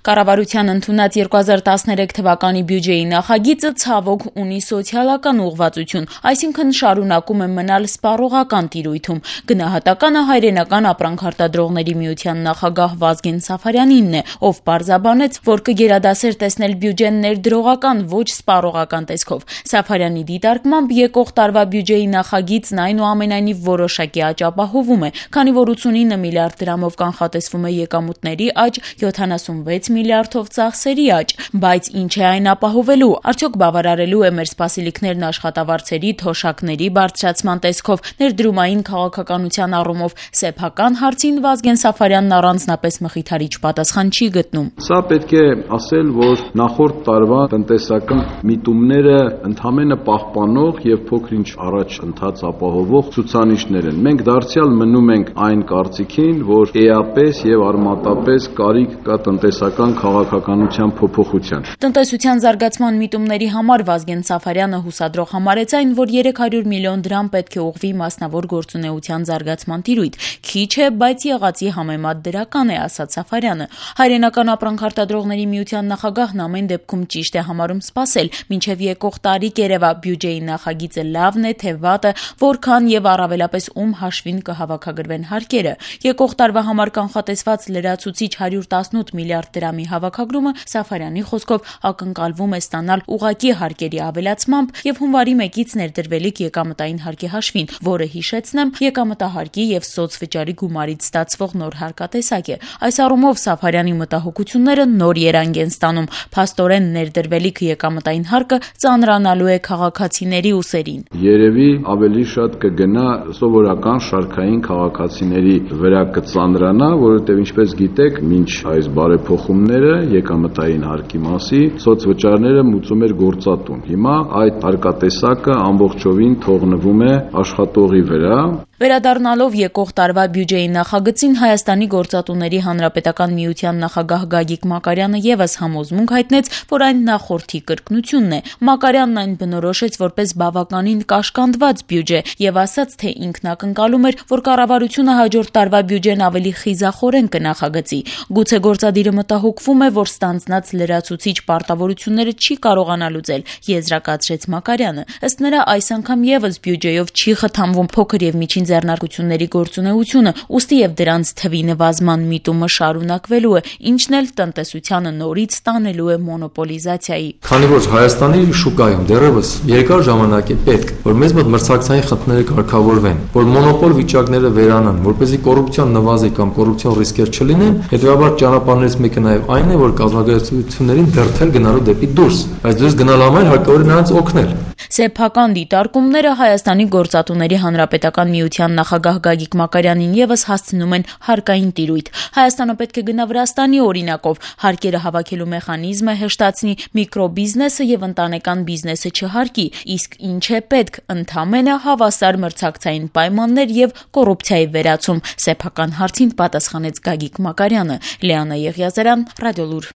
Կառավարության ընդունած 2013 թվականի բյուջեի նախագիծը ցավոք ունի սոցիալական ուղղվածություն, այսինքն շարունակում է մնալ սպառողական տիրույթում։ Գնահատականը Հայրենական ապրանքարտադրողների միության նախագահ Վազգեն Սաֆարյանինն է, ով պարզաբանեց, որ կգերադասեր տեսնել բյուջեն ներդրողական, ոչ սպառողական տեսքով։ Սաֆարյանի դիտարկմամբ եկող տարվա բյուջեի նախագիծն այնուամենայնիվ որոշակի աճ ապահովում է, քանի որ 89 միլիարդ դրամով կանխատեսվում է եկամուտների աճ, 76 միլիարդով ծախսերի աճ, բայց ինչ է այն ապահովելու, արդյոք բավարարելու է մեր սպասելիքներն աշխատավարձերի, թոշակների բարձրացման տեսքով, ներդրումային քաղաքականության առումով, սեփական հարցին Վազգեն Սաֆարյանն առանձնապես մխիթարիչ պատասխան չի գտնում։ Սա պետք է ասել, որ նախորդ տարվա տնտեսական միտումները ընդհանրապես պահպանող եւ փոքր-ինչ առաջ ընթաց ապահովող ցուցանիշներ են։ Մենք դարձյալ մնում ենք այն կարծիքին, որ էապես եւ արմատապես կարիք կա տնտեսական քաղաքականության փոփոխության։ Տնտեսության զարգացման միտումների համար Վազգեն Սաֆարյանը հուսադրող համարեց այն, որ 300 միլիոն դրամ պետք է ուղղվի մասնավոր գործունեության զարգացման տիրույթ։ Քիչ է, բայց եղածի համեմատ դրական է, ասաց Սաֆարյանը։ Հայրենական ապրանքարտադրողների միության նախագահն ամեն դեպքում ճիշտ է համարում սպասել, մինչև եկող տարի կերևա բյուջեի նախագիծը լավն է, թե վատը, որքան եւ առավելապես ում հաշվին կհավաքագրվեն հարկերը։ Եկող տարվա համար կանխատեսված լրացուցիչ 118 միլիարդ դրամի հավաքագրումը Սաֆարյանի խոսքով ակնկալվում է ստանալ ուղղակի հարկերի ավելացմամբ եւ հունվարի 1-ից ներդրվելիք եկամտային հարկի հաշվին, որը հիշեցնեմ եկամտահարկի եւ սոցվճարի գումարից ստացվող նոր հարկատեսակ է։ Այս առումով Սաֆարյանի մտահոգությունները նոր երանգ են ստանում։ Փաստորեն ներդրվելիք եկամտային հարկը ծանրանալու է քաղաքացիների ուսերին։ Երևի ավելի շատ կգնա սովորական շարքային քաղաքացիների վրա կծանրանա, որովհետեւ ինչպես գիտեք, մինչ այս բարեփոխումները եկամտային հարկի մասի սոցվճարները մուծում էր գործատուն։ Հիմա այդ հարկատեսակը ամբողջովին թողնվում է աշխատողի վրա։ Վերադառնալով եկող տարվա բյուջեի նախագծին, Հայաստանի գործատուների հանրապետական միության նախագահ Գագիկ Մակարյանը եւս համոզմունք հայտնեց, որ այն նախորդի կրկնությունն է։ Մակարյանն այն բնորոշեց որպես բավականին կաշկանդված բյուջե եւ ասաց, թե ինքն ակնկալում էր, որ կառավարությունը հաջորդ տարվա բյուջեն ավելի խիզախորեն կնախագծի։ Գուցե գործադիրը մտահոգվում է, որ ստանձնած լրացուցիչ պարտավորությունները չի կարողանա լուծել, եզրակացրեց Մակարյանը։ Ըստ նրա, այս անգամ եւս բյուջեով չի խթանվում փոքր եւ միջին ձեռնարկությունների գործունեությունը, ուստի եւ դրանց թվի նվազման միտումը շարունակվելու է, ինչն էլ տնտեսությանը նորից տանելու է մոնոպոլիզացիայի։ Քանի որ Հայաստանի շուկայում դեռևս երկար ժամանակ է պետք, որ մեզ մոտ մրցակցային խնդիրները կարգավորվեն, որ մոնոպոլ վիճակները վերանան, որպեսզի կոռուպցիան նվազի կամ կոռուպցիոն ռիսկեր չլինեն, հետեւաբար ճանապարհներից մեկը նաեւ այն է, որ կազմակերպություններին դրթել գնալու դեպի դուրս, բայց դուրս գնալ համար հարկավոր է նրանց օգնել։ Սեփական դիտարկումները Հայաստանի գործատուների հանրապետական միության նախագահ Գագիկ Մակարյանին եւս հասցնում են հարկային տիրույթ։ Հայաստանը պետք է գնա Վրաստանի օրինակով, հարկերը հավաքելու մեխանիզմը հեշտացնի, միկրոբիզնեսը եւ ընտանեկան բիզնեսը չհարկի, իսկ ինչ է պետք, ընդամենը հավասար մրցակցային պայմաններ եւ կոռուպցիայի վերացում, սեփական հարցին պատասխանեց Գագիկ Մակարյանը։ Լիանա Եղիազարյան, Ռադիոլուր։